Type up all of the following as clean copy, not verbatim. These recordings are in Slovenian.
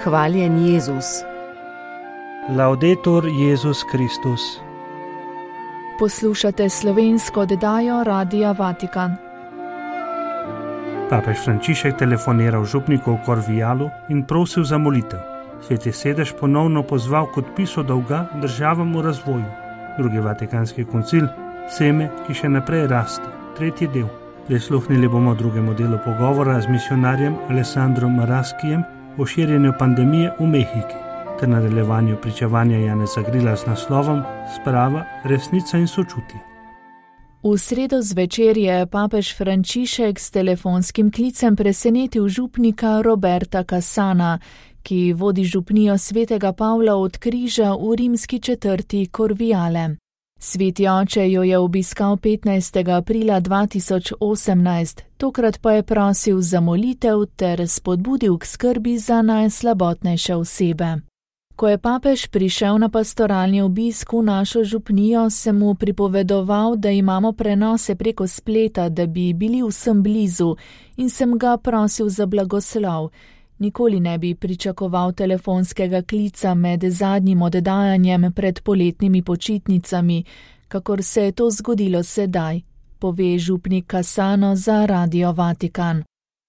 Hvaljen Jezus. Laudetur Jezus Kristus. Poslušate slovensko oddajo Radia Vatikan. Papež Frančišek telefoniral župniku v Corvialu in prosil za molitev. Sveti sedež ponovno pozval k odpisu dolga državam v razvoju. Drugi Vatikanski koncil, seme, ki še naprej raste. Tretji del. Prisluhnili bomo drugemu delu pogovora z misionarjem Alessandrom Maraskijem o širjenju pandemije v Mehiki, ter nadaljevanju pričevanja Janeza Grila s naslovom Sprava, resnica in sočutje. V sredo zvečer je papež Frančišek s telefonskim klicem presenetil župnika Roberta Cassana, ki vodi župnijo svetega Pavla od Križa v rimski četrti Corviale. Sveti oče jo je obiskal 15. aprila 2018, tokrat pa je prosil za molitev ter spodbudil k skrbi za najslabotnejše osebe. Ko je papež prišel na pastoralni obisk v našo župnijo, sem mu pripovedoval, da imamo prenose preko spleta, da bi bili vsem blizu, in sem ga prosil za blagoslov. Nikoli ne bi pričakoval telefonskega klica med zadnjim oddajanjem pred poletnimi počitnicami, kakor se je to zgodilo sedaj, pove župnik Cassano za Radio Vatikan.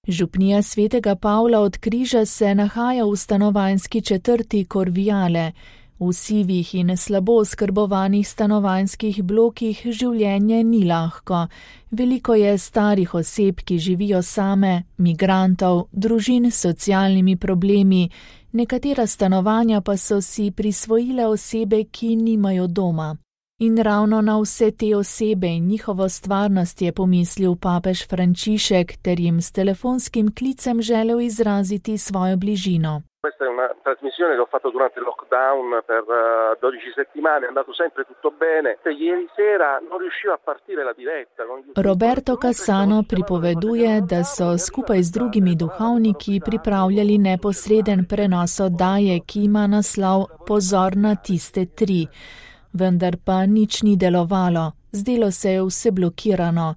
Župnija svetega Pavla od Križa se nahaja v stanovanjski četrti Corviale. V sivih in slabo oskrbovanih stanovanjskih blokih življenje ni lahko. Veliko je starih oseb, ki živijo same, migrantov, družin s socialnimi problemi, nekatera stanovanja pa so si prisvojile osebe, ki nimajo doma. In ravno na vse te osebe in njihovo stvarnost je pomislil papež Frančišek, ter jim s telefonskim klicem želel izraziti svojo bližino. Questa è una trasmissione che ho fatto durante il lockdown per 12 settimane, è andato sempre tutto bene. Ieri sera non riuscivo a partire la diretta. Roberto Cassano pripoveduje, da so skupaj z drugimi duhovniki pripravljali neposreden prenos oddaje, ki ima naslov Pozor na tiste tri. Vendar pa nič ni delovalo, zdelo se je vse blokirano.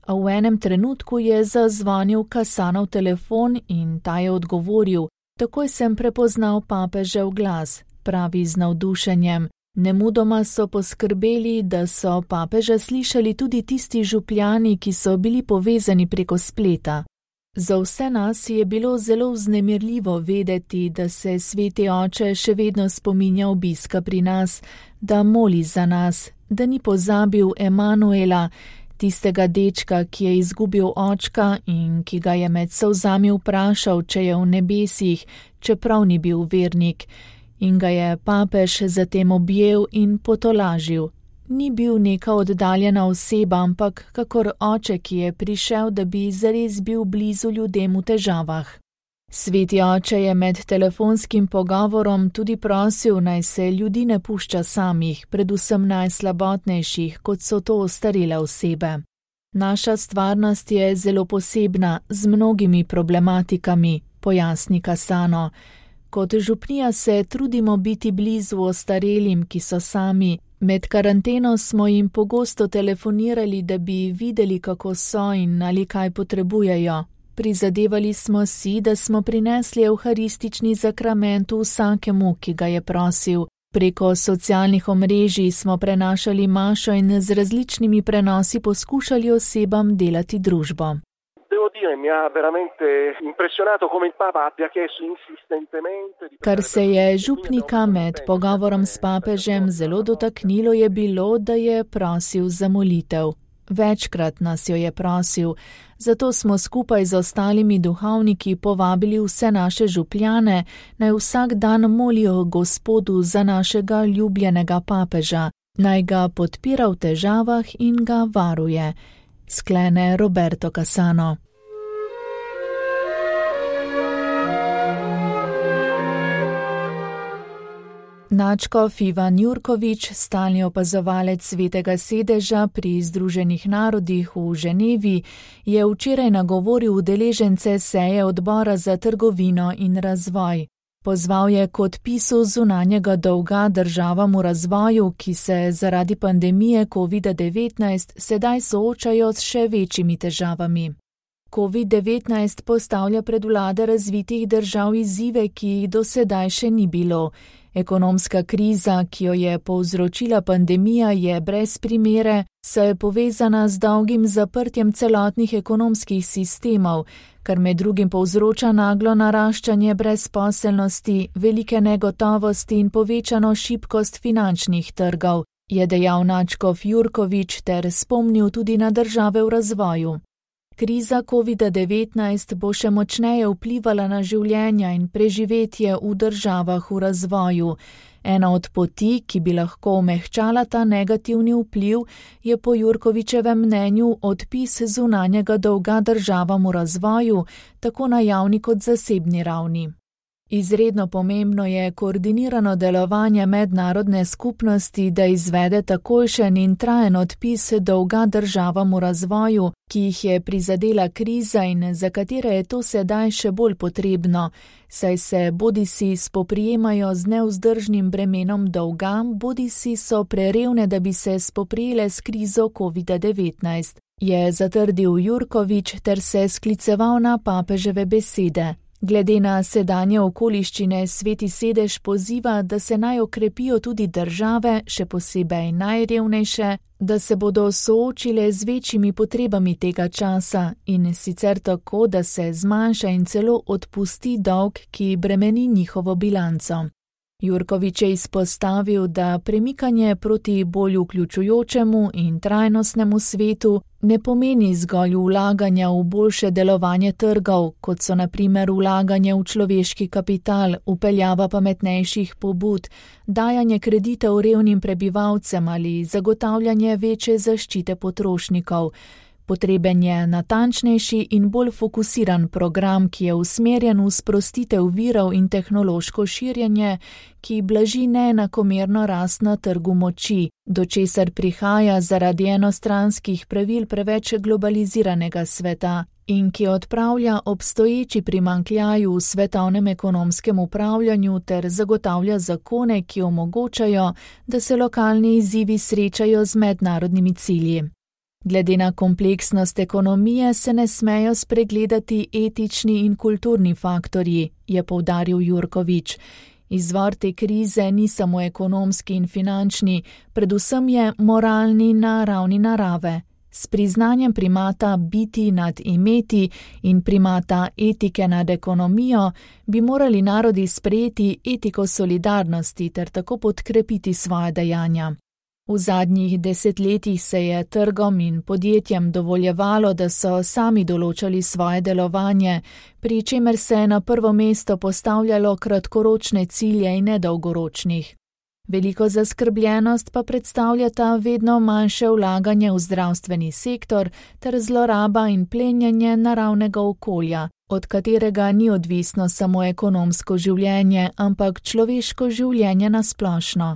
A v enem trenutku je zazvonil Cassanov telefon in ta je odgovoril. Takoj sem prepoznal papežev glas, pravi z navdušenjem. Nemudoma so poskrbeli, da so papeža slišali tudi tisti župljani, ki so bili povezani preko spleta. Za vse nas je bilo zelo vznemirljivo vedeti, da se sveti oče še vedno spominja obiska pri nas, da moli za nas, da ni pozabil Emanuela, tistega dečka, ki je izgubil očka in ki ga je med solzami vprašal, če je v nebesih, čeprav ni bil vernik, in ga je papež zatem objel in potolažil. Ni bil neka oddaljena oseba, ampak kakor oče, ki je prišel, da bi zares bil blizu ljudem v težavah. Sveti oče je med telefonskim pogovorom tudi prosil, naj se ljudi ne pušča samih, predvsem najslabotnejših, kot so to ostarele osebe. Naša stvarnost je zelo posebna, z mnogimi problematikami, pojasni Cassano. Kot župnija se trudimo biti blizu ostarelim, ki so sami. Med karanteno smo jim pogosto telefonirali, da bi videli, kako so in ali kaj potrebujejo. Prizadevali smo si, da smo prinesli evharistični zakrament vsakemu, ki ga je prosil. Preko socialnih omrežij smo prenašali mašo in z različnimi prenosi poskušali osebam delati družbo. Kar se je župnika med pogovorom s papežem zelo dotaknilo, je bilo, da je prosil za molitev. Večkrat nas jo je prosil, zato smo skupaj z ostalimi duhovniki povabili vse naše župljane, naj vsak dan molijo Gospodu za našega ljubljenega papeža, naj ga podpira v težavah in ga varuje, sklene Roberto Cassano. Nadškof Ivan Jurkovič, stalni opazovalec Svetega sedeža pri Združenih narodih v Ženevi, je včeraj nagovoril udeležence seje odbora za trgovino in razvoj. Pozval je k odpisu zunanjega dolga državam v razvoju, ki se zaradi pandemije COVID-19 sedaj soočajo s še večjimi težavami. COVID-19 postavlja pred vlade razvitih držav izzive, ki jih do sedaj še ni bilo. Ekonomska kriza, ki jo je povzročila pandemija, je brez primere, saj je povezana z dolgim zaprtjem celotnih ekonomskih sistemov, kar med drugim povzroča naglo naraščanje brezposelnosti, velike negotovosti in povečano šibkost finančnih trgov, je dejal nadškof Jurkovič ter spomnil tudi na države v razvoju. Kriza COVID-19 bo še močneje vplivala na življenja in preživetje v državah v razvoju. Ena od poti, ki bi lahko omehčala ta negativni vpliv, je po Jurkovičevem mnenju odpis zunanjega dolga državam v razvoju, tako na javni kot zasebni ravni. Izredno pomembno je koordinirano delovanje mednarodne skupnosti, da izvede takojšen in trajen odpis dolga državam v razvoju, ki jih je prizadela kriza in za katere je to sedaj še bolj potrebno, saj se bodisi spoprijemajo z nevzdržnim bremenom dolga, bodisi so prerevne, da bi se spoprijele s krizo COVID-19, je zatrdil Jurkovič ter se skliceval na papeževe besede. Glede na sedanje okoliščine Sveti sedež poziva, da se naj okrepijo tudi države, še posebej najrevnejše, da se bodo soočile z večjimi potrebami tega časa in sicer tako, da se zmanjša in celo odpusti dolg, ki bremeni njihovo bilanco. Jurkovič je izpostavil, da premikanje proti bolj vključujočemu in trajnostnemu svetu ne pomeni zgolj vlaganja v boljše delovanje trgov, kot so na primer vlaganje v človeški kapital, vpeljava pametnejših pobud, dajanje kreditov revnim prebivalcem ali zagotavljanje večje zaščite potrošnikov. Potreben je natančnejši in bolj fokusiran program, ki je usmerjen v sprostitev virov in tehnološko širjenje, ki blaži neenakomerno rast na trgu moči, do česar prihaja zaradi enostranskih pravil preveč globaliziranega sveta in ki odpravlja obstoječi primanjkljaj v svetovnem ekonomskem upravljanju ter zagotavlja zakone, ki omogočajo, da se lokalni izzivi srečajo z mednarodnimi cilji. Glede na kompleksnost ekonomije se ne smejo spregledati etični in kulturni faktorji, je poudaril Jurkovič. Izvor te krize ni samo ekonomski in finančni, predvsem je moralni na ravni narave. S priznanjem primata biti nad imeti in primata etike nad ekonomijo bi morali narodi sprejeti etiko solidarnosti ter tako podkrepiti svoje dejanja. V zadnjih desetletjih se je trgom in podjetjem dovoljevalo, da so sami določali svoje delovanje, pri čemer se je na prvo mesto postavljalo kratkoročne cilje in ne dolgoročnih. Veliko zaskrbljenost pa predstavljata vedno manjše vlaganje v zdravstveni sektor ter zloraba in plenjenje naravnega okolja, od katerega ni odvisno samo ekonomsko življenje, ampak človeško življenje nasplošno.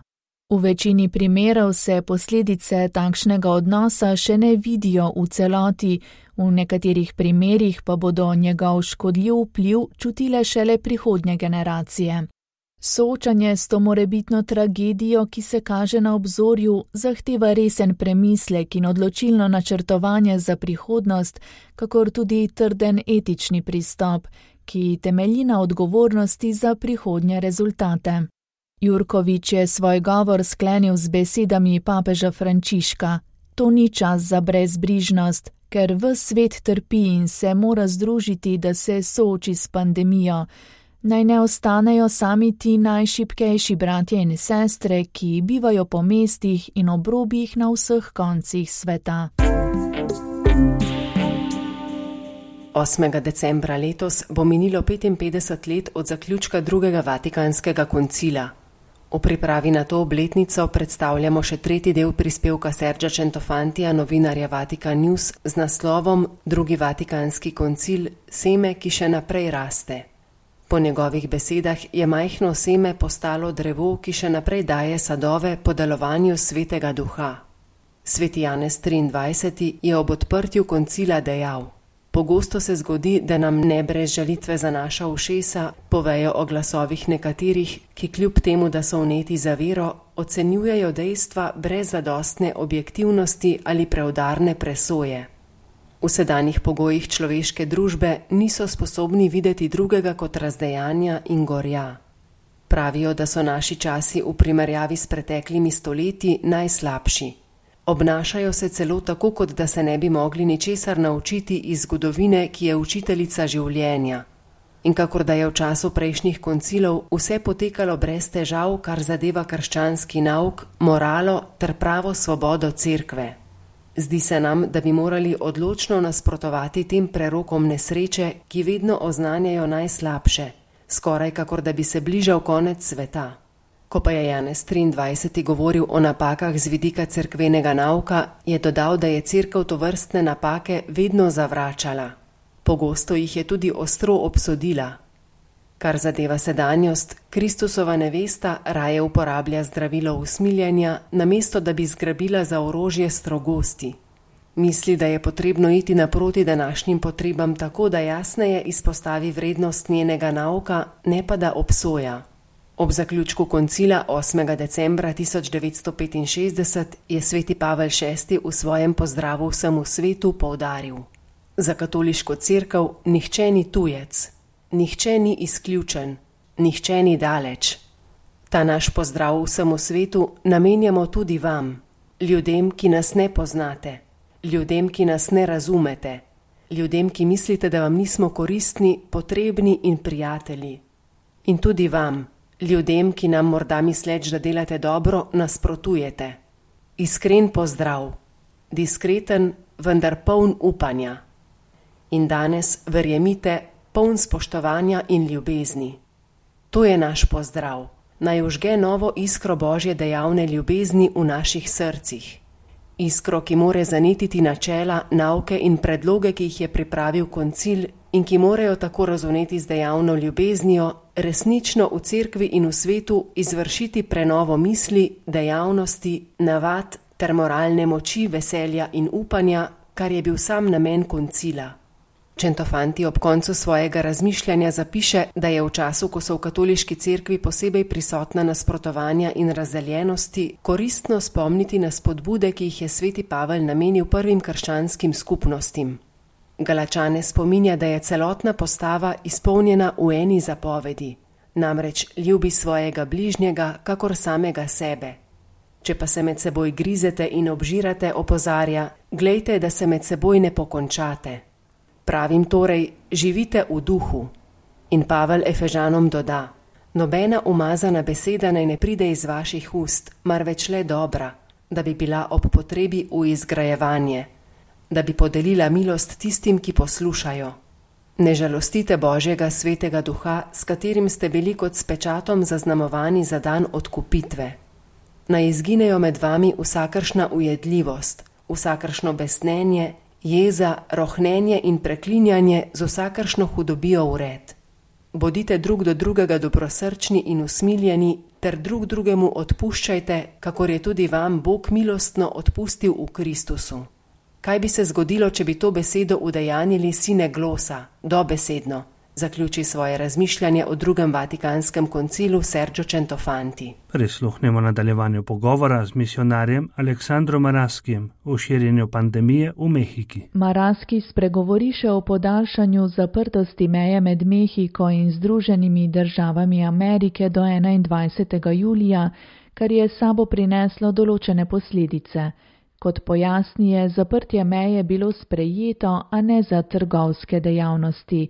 V večini primerov se posledice takšnega odnosa še ne vidijo v celoti, v nekaterih primerih pa bodo njegov škodljiv vpliv čutile šele prihodnje generacije. Soočanje s to morebitno tragedijo, ki se kaže na obzorju, zahteva resen premislek in odločilno načrtovanje za prihodnost, kakor tudi trden etični pristop, ki temelji na odgovornosti za prihodnje rezultate. Jurkovič je svoj govor sklenil z besedami papeža Frančiška. To ni čas za brezbrižnost, ker ves svet trpi in se mora združiti, da se sooči s pandemijo. Naj ne ostanejo sami ti najšibkejši bratje in sestre, ki bivajo po mestih in obrobjih na vseh koncih sveta. 8. decembra letos bo minilo 55 let od zaključka drugega Vatikanskega koncila. V pripravi na to obletnico predstavljamo še tretji del prispevka Sergea Centofantija, novinarja Vatikan News, z naslovom Drugi Vatikanski koncil – seme, ki še naprej raste. Po njegovih besedah je majhno seme postalo drevo, ki še naprej daje sadove po delovanju Svetega Duha. Sveti Janez 23. je ob odprtju koncila dejal: Pogosto se zgodi, da nam ne brez žalitve za naša ušesa povejo o glasovih nekaterih, ki kljub temu, da so vneti za vero, ocenjujejo dejstva brez zadostne objektivnosti ali preudarne presoje. V sedanjih pogojih človeške družbe niso sposobni videti drugega kot razdejanja in gorja. Pravijo, da so naši časi v primerjavi s preteklimi stoletji najslabši. Obnašajo se celo tako, kot da se ne bi mogli ničesar naučiti iz zgodovine, ki je učiteljica življenja. In kakor da je v času prejšnjih koncilov vse potekalo brez težav, kar zadeva krščanski nauk, moralo ter pravo svobodo cerkve. Zdi se nam, da bi morali odločno nasprotovati tem prerokom nesreče, ki vedno oznanjajo najslabše, skoraj kakor da bi se bližal konec sveta. Ko pa je Janez 23. govoril o napakah z vidika cerkvenega nauka, je dodal, da je cerkev tovrstne napake vedno zavračala. Pogosto jih je tudi ostro obsodila. Kar zadeva sedanjost, Kristusova nevesta raje uporablja zdravilo usmiljenja, namesto da bi zgrabila za orožje strogosti. Misli, da je potrebno iti naproti današnjim potrebam tako, da jasneje izpostavi vrednost njenega nauka, ne pa da obsoja. Ob zaključku koncila 8. decembra 1965 je sveti Pavel VI v svojem pozdravu vsemu svetu poudaril: za katoliško cerkev nihče ni tujec, nihče ni izključen, nihče ni daleč. Ta naš pozdrav vsemu svetu namenjamo tudi vam, ljudem, ki nas ne poznate, ljudem, ki nas ne razumete, ljudem, ki mislite, da vam nismo koristni, potrebni in prijatelji. In tudi vam, ljudem, ki nam morda misleč, da delate dobro, nasprotujete. Iskren pozdrav, diskreten, vendar poln upanja. In danes, verjemite, poln spoštovanja in ljubezni. To je naš pozdrav, naj užge novo iskro Božje dejavne ljubezni v naših srcih. Iskro, ki more zanetiti načela, nauke in predloge, ki jih je pripravil koncil in ki morajo tako razumeti z dejavno ljubeznijo, resnično v cerkvi in v svetu izvršiti prenovo misli, dejavnosti, navad ter moralne moči, veselja in upanja, kar je bil sam namen koncila. Centofanti ob koncu svojega razmišljanja zapiše, da je v času, ko so v katoliški cerkvi posebej prisotna nasprotovanja in razdeljenosti, koristno spomniti na spodbude, ki jih je sveti Pavel namenil prvim krščanskim skupnostim. Galačane spominja, da je celotna postava izpolnjena v eni zapovedi, namreč ljubi svojega bližnjega kakor samega sebe. Če pa se med seboj grizete in obžirate, opozarja, glejte, da se med seboj ne pokončate. Pravim torej, živite v duhu. In Pavel Efežanom doda: nobena umazana beseda naj ne pride iz vaših ust, marveč le dobra, da bi bila ob potrebi v izgrajevanje, da bi podelila milost tistim, ki poslušajo. Ne žalostite Božjega svetega duha, s katerim ste bili kot s pečatom zaznamovani za dan odkupitve. Naj izginejo med vami vsakršna ujedljivost, vsakršno besnenje, jeza, rohnenje in preklinjanje z vsakršno hudobijo vred. Bodite drug do drugega dobrosrčni in usmiljeni, ter drug drugemu odpuščajte, kakor je tudi vam Bog milostno odpustil v Kristusu. Kaj bi se zgodilo, če bi to besedo udejanjili sine glosa, dobesedno, zaključi svoje razmišljanje o drugem Vatikanskem koncilu Sergio Centofanti. Prisluhnemo nadaljevanju pogovora z misionarjem Aleksandrom Maraskijem o širjenju pandemije v Mehiki. Maraski spregovori še o podaljšanju zaprtosti meje med Mehiko in Združenimi državami Amerike do 21. julija, kar je s sabo prineslo določene posledice. Kot pojasni, je zaprtje meje bilo sprejeto, a ne za trgovske dejavnosti.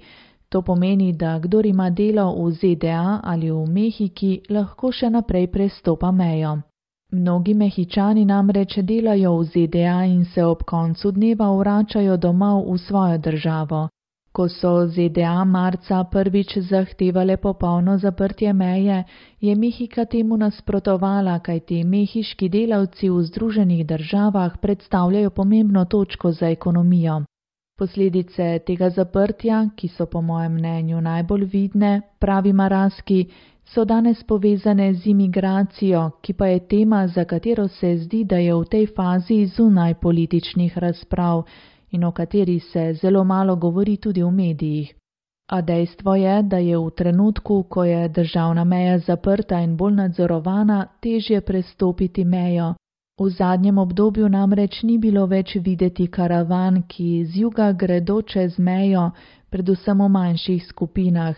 To pomeni, da kdor ima delo v ZDA ali v Mehiki, lahko še naprej prestopa mejo. Mnogi Mehičani namreč delajo v ZDA in se ob koncu dneva vračajo domov v svojo državo. Ko so ZDA marca prvič zahtevale popolno zaprtje meje, je Mehika temu nasprotovala, kajti mehiški delavci v Združenih državah predstavljajo pomembno točko za ekonomijo. Posledice tega zaprtja, ki so po mojem mnenju najbolj vidne, pravi Maraski, so danes povezane z imigracijo, ki pa je tema, za katero se zdi, da je v tej fazi zunaj političnih razprav in o kateri se zelo malo govori tudi v medijih. A dejstvo je, da je v trenutku, ko je državna meja zaprta in bolj nadzorovana, težje prestopiti mejo. V zadnjem obdobju namreč ni bilo več videti karavan, ki z juga gredo čez mejo, predvsem v manjših skupinah,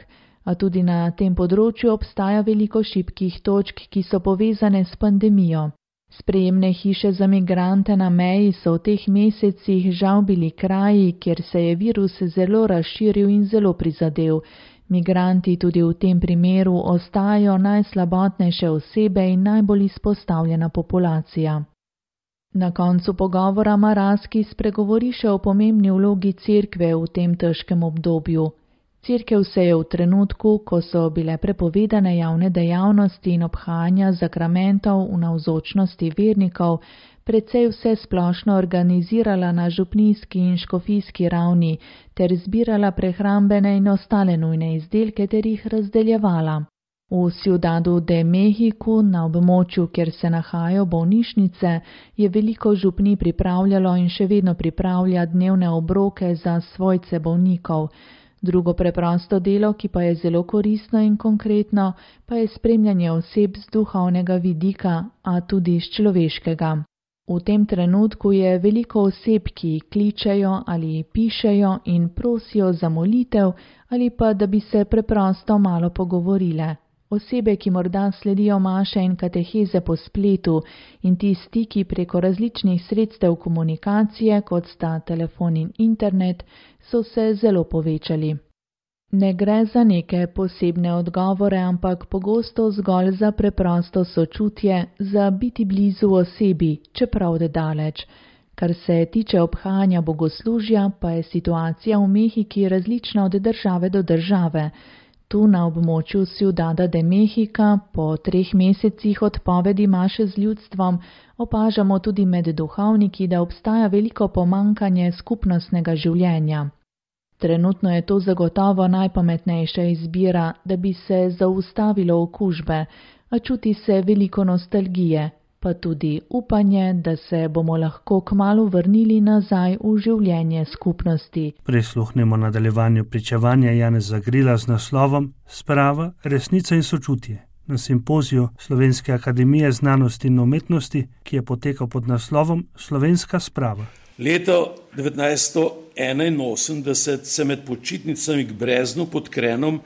a tudi na tem področju obstaja veliko šibkih točk, ki so povezane s pandemijo. Sprejemne hiše za migrante na meji so v teh mesecih žal bili kraji, kjer se je virus zelo razširil in zelo prizadel. Migranti tudi v tem primeru ostajajo najslabotnejše osebe in najbolj izpostavljena populacija. Na koncu pogovora Maraski spregovori še o pomembni vlogi cerkve v tem težkem obdobju. Cerkev se je v trenutku, ko so bile prepovedane javne dejavnosti in obhajanja zakramentov v navzočnosti vernikov, precej vse splošno organizirala na župnijski in škofijski ravni ter zbirala prehrambene in ostale nujne izdelke ter jih razdeljevala. V Ciudadu de Mexico, na območju, kjer se nahajajo bolnišnice, je veliko župnij pripravljalo in še vedno pripravlja dnevne obroke za svojce bolnikov. Drugo preprosto delo, ki pa je zelo koristno in konkretno, pa je spremljanje oseb z duhovnega vidika, a tudi z človeškega. V tem trenutku je veliko oseb, ki kličejo ali pišejo in prosijo za molitev ali pa da bi se preprosto malo pogovorile. Osebe, ki morda sledijo maše in kateheze po spletu in ti stiki preko različnih sredstev komunikacije, kot sta telefon in internet, so se zelo povečali. Ne gre za neke posebne odgovore, ampak pogosto zgolj za preprosto sočutje, za biti blizu osebi, čeprav daleč. Kar se tiče obhajanja bogoslužja, pa je situacija v Mehiki različna od države do države. Tu na območju Ciudada de Mexica po 3 mesecih odpovedi maše z ljudstvom opažamo tudi med duhovniki, da obstaja veliko pomankanje skupnostnega življenja. Trenutno je to zagotovo najpametnejša izbira, da bi se zaustavilo okužbe, a čuti se veliko nostalgije, pa tudi upanje, da se bomo lahko kmalu vrnili nazaj v življenje skupnosti. Prisluhnemo nadaljevanju pričevanja Janeza Grila z naslovom Sprava, resnica in sočutje na simpoziju Slovenske akademije znanosti in umetnosti, ki je potekal pod naslovom Slovenska sprava. Leto 1981 se med počitnicami k Breznu pod Krenom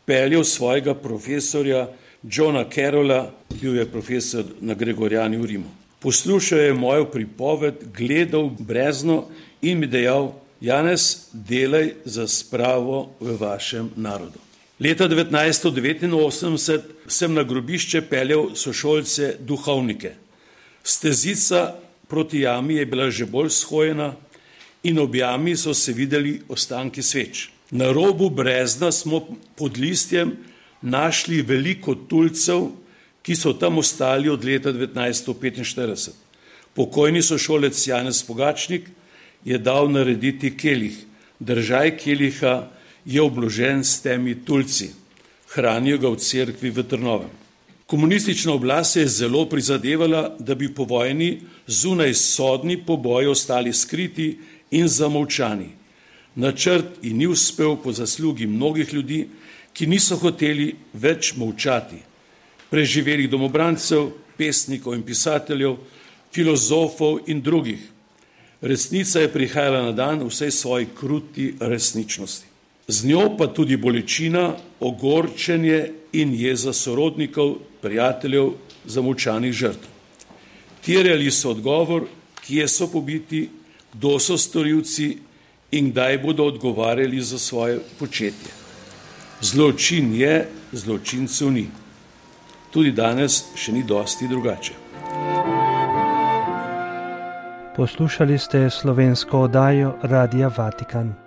peljal svojega profesorja Johna Carrolla, bil je profesor na Gregorjani v Rimu. Poslušal je mojo pripoved, gledal Brezno in mi dejal: Janez, delaj za spravo v vašem narodu. Leta 1989 sem na grobišče peljal sošolce duhovnike. Stezica proti jami je bila že bolj shojena in ob jami so se videli ostanki sveč. Na robu Brezna smo pod listjem našli veliko tulcev, ki so tam ostali od leta 1945. Pokojni sošolec Janez Pogačnik je dal narediti kelih. Držaj keliha je obložen s temi tulci. Hranijo ga v cerkvi v Trnovem. Komunistična oblast je zelo prizadevala, da bi po vojni zunaj sodni poboji ostali skriti in zamolčani. Načrt ji ni uspel po zaslugi mnogih ljudi, ki niso hoteli več molčati. Preživelih domobrancev, pesnikov in pisateljev, filozofov in drugih. Resnica je prihajala na dan v vsej svoji kruti resničnosti. Z njo pa tudi bolečina, ogorčenje in jeza sorodnikov, prijateljev, zamolčanih žrtev. Terjali so odgovor, kje so pobiti, kdo so storilci in kdaj bodo odgovarjali za svoje početje. Zločin je, zločincev ni. Tudi danes še ni dosti drugače. Poslušali ste slovensko oddajo Radia Vatikan.